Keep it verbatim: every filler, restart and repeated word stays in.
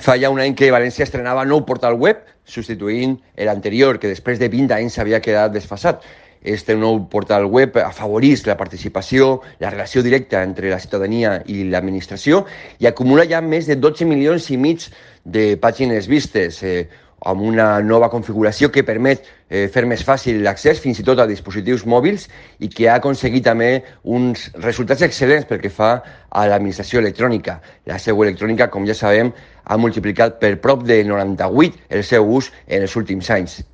Fa ja un any que València estrenava nou portal web, substituint l'anterior, que després de vint anys s'havia quedat desfasat. Este nou portal web afavoreix la participació, la relació directa entre la ciutadania i l'administració i acumula ja més de dotze milions i mig de pàgines vistes, eh, amb una nova configuració que permet eh, fer més fàcil l'accés fins i tot a dispositius mòbils i que ha aconseguit també uns resultats excel·lents pel que fa a l'administració electrònica. La seu electrònica, com ja sabem, ha multiplicat per prop de noranta-vuit el seu ús en els últims anys.